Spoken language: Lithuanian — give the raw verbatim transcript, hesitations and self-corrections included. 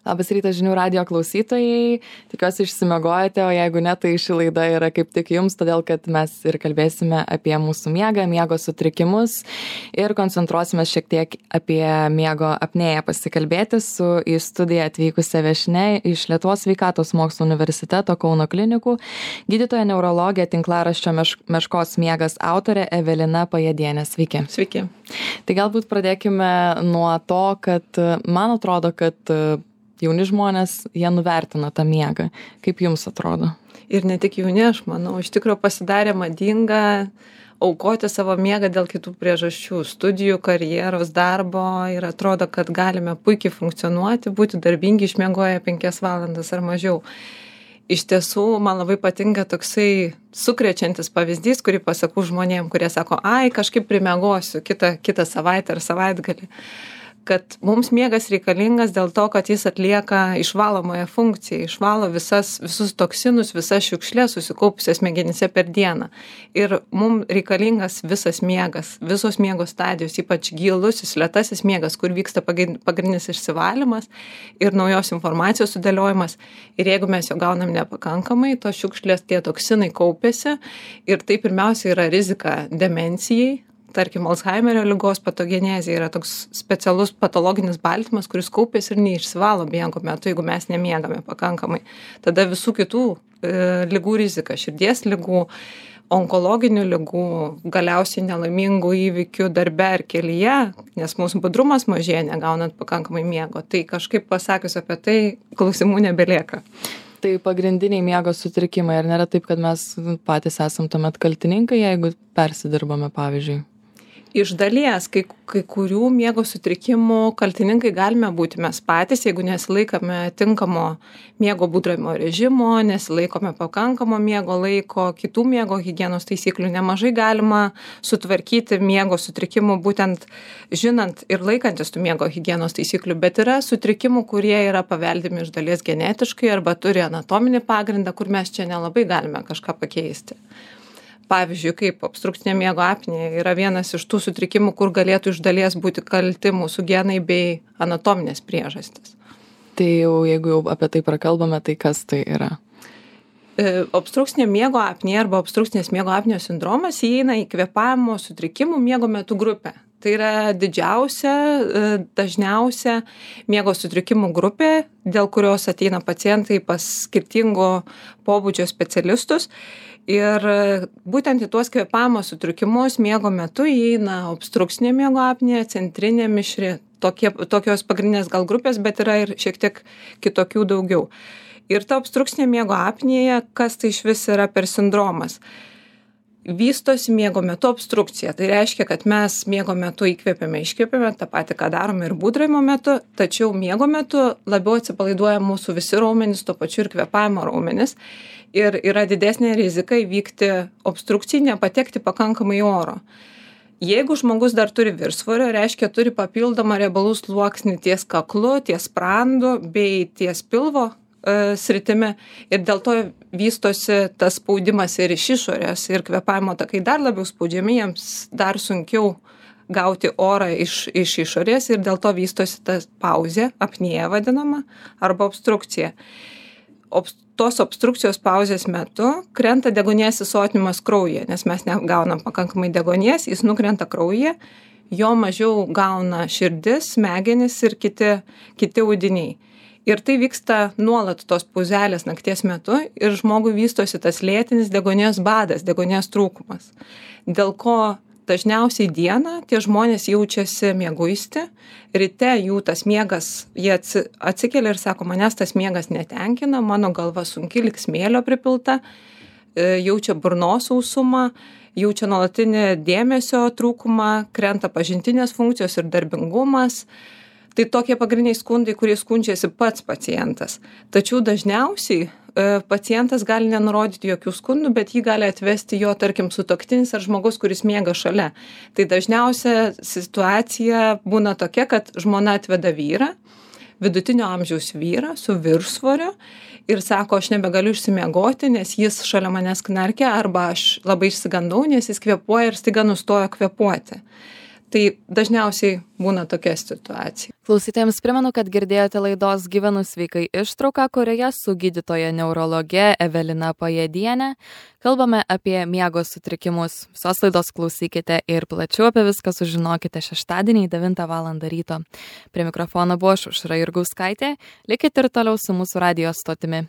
Labas rytas žinių radijo klausytojai, tikiuosi išsimiegojate, o jeigu ne, tai ši laida yra kaip tik jums, todėl kad mes ir kalbėsime apie mūsų miegą, miego sutrikimus ir koncentruosime šiek tiek apie miego apnėją pasikalbėti su į studiją atvykusia viešnia iš Lietuvos sveikatos mokslų universiteto Kauno klinikų, gydytoja neurologė tinklaraščio meš, Meškos miegas autorė Evelina Pajėdienė. Sveiki. Sveiki. Tai galbūt pradėkime nuo to, kad man atrodo, kad jauni žmonės, jie nuvertina tą miegą. Kaip jums atrodo? Ir ne tik jauni, aš manau, iš tikrųjų pasidarė madinga aukoti savo miegą dėl kitų priežasčių, studijų, karjeros, darbo ir atrodo, kad galime puikiai funkcionuoti, būti darbingi išmiegoję penkias valandas ar mažiau. Iš tiesų, man labai patinka toksai sukrečiantis pavyzdys, kurį pasakau žmonėm, kurie sako, ai, kažkaip primiegosiu kitą, kitą savaitę ar savaitgalį. Kad mums miegas reikalingas dėl to, kad jis atlieka išvalomąją funkciją, išvalo visas, visus toksinus, visas šiukšlės susikaupusias smegenyse per dieną. Ir mums reikalingas visas miegas, visos miego stadijos, ypač gilusis, lėtasis miegas, kur vyksta pagrindinis išsivalymas ir naujos informacijos sudėliojimas. Ir jeigu mes jo gaunam nepakankamai, tos šiukšlės, tie toksinai kaupiasi ir tai pirmiausia yra rizika demencijai. Tarkim, Alzheimerio ligos patogenezė yra toks specialus patologinis baltymas, kuris kaupiasi ir neišsivalo miego metu, jeigu mes nemiegame pakankamai. Tada visų kitų e, ligų rizika, širdies ligų, onkologinių ligų, galiausiai nelaimingų įvykių darbe ar kelyje, nes mūsų budrumas mažėja negaunant pakankamai miego. Tai kažkaip pasakius apie tai, klausimų nebelieka. Tai pagrindiniai miego sutrikimai, ar nėra taip, kad mes patys esam tuomet kaltininkai, jeigu persidirbame, pavyzdžiui? Iš dalies, kai, kai kurių miego sutrikimų kaltininkai galime būti mes patys, jeigu nesilaikome tinkamo miego būdravimo režimo, nesilaikome pakankamo miego laiko, kitų miego higienos taisyklių. Nemažai galima sutvarkyti miego sutrikimų būtent žinant ir laikantis tų miego higienos taisyklių, bet yra sutrikimų, kurie yra paveldimi iš dalies genetiškai arba turi anatominį pagrindą, kur mes čia nelabai galime kažką pakeisti. Pavyzdžiui, kaip obstrukcinė miego apnėja yra vienas iš tų sutrikimų, kur galėtų iš dalies būti kalti mūsų genai bei anatominės priežastys. Tai jau, jeigu jau apie tai prakalbame, tai kas tai yra? E, obstrukcinė miego apnėja arba obstrukcinės miego apnėjos sindromas įeina į kvėpavimo sutrikimų miego metu grupę. Tai yra didžiausia, dažniausia miego sutrikimų grupė, dėl kurios ateina pacientai pas skirtingo pobūdžio specialistus. Ir būtent į tuos kvėpavimo sutrikimus miego metu įeina obstrukcinė miego apnėja, centrinė mišri, tokie, tokios pagrindinės gal grupės, bet yra ir šiek tiek kitokių daugiau. Ir ta obstrukcinė miego apnėja, kas tai iš vis yra per sindromas? Vystosi miego metu obstrukcija. Tai reiškia, kad mes miego metu įkvėpiame, iškvėpiame, tą patį, ką darome ir būdravimo metu, tačiau miego metu labiau atsipalaiduoja mūsų visi raumenys, tuo pačiu ir kvėpavimo raumenys. Ir yra didesnė rizika įvykti obstrukcijai, nepatekti pakankamai oro. Jeigu žmogus dar turi viršsvorio, reiškia turi papildomą riebalų sluoksnį ties kaklu, ties sprandu bei ties pilvo e, sritimi ir dėl to vystosi tas spaudimas ir iš išorės ir kvėpavimo takai dar labiau spaudžiami, jiems dar sunkiau gauti orą iš, iš išorės ir dėl to vystosi ta pauzė, apnėja vadinama, arba obstrukcija. Obst tos obstrukcijos pauzės metu krenta deguonies įsotinimas kraujyje, nes mes negaunam pakankamai deguonies, jis nukrenta kraujyje, jo mažiau gauna širdis, smegenys ir kiti, kiti audiniai. Ir tai vyksta nuolat tos pauzelės nakties metu ir žmogui vystosi tas lėtinis deguonies badas, deguonies trūkumas. Dėl ko dažniausiai dieną tie žmonės jaučiasi mieguisti, ryte jų tas miegas, jie atsikelia ir sako, manęs tas miegas netenkina, mano galva sunki, lyg smėlio pripilta, jaučia burnos sausumą, jaučia nuolatinį dėmesio trūkumą, krenta pažintinės funkcijos ir darbingumas. Tai tokie pagrindiniai skundai, kurie skundžiasi pats pacientas. Tačiau dažniausiai pacientas gali nenurodyti jokių skundų, bet jį gali atvesti jo, tarkim, sutuoktinis ar žmogus, kuris miega šalia. Tai dažniausia situacija būna tokia, kad žmona atveda vyrą, vidutinio amžiaus vyrą su viršsvoriu ir sako, aš nebegaliu išsimiegoti, nes jis šalia manęs knarkia, arba aš labai išsigandau, nes jis kvėpuoja ir staiga nustojo kvėpuoti. Tai dažniausiai būna tokia situacija. Klausytojams primenu, kad girdėjote laidos Gyvenu sveikai ištrauką, kurioje su gydytoja neurologe Evelina Pajėdienė kalbame apie miego sutrikimus. Visos laidos klausykite ir plačiau apie viską sužinokite šeštadienį devintą valandą ryto. Prie mikrofono buvo aš Aušra Jurgauskaitė. Likite ir toliau su mūsų radijo stotimi.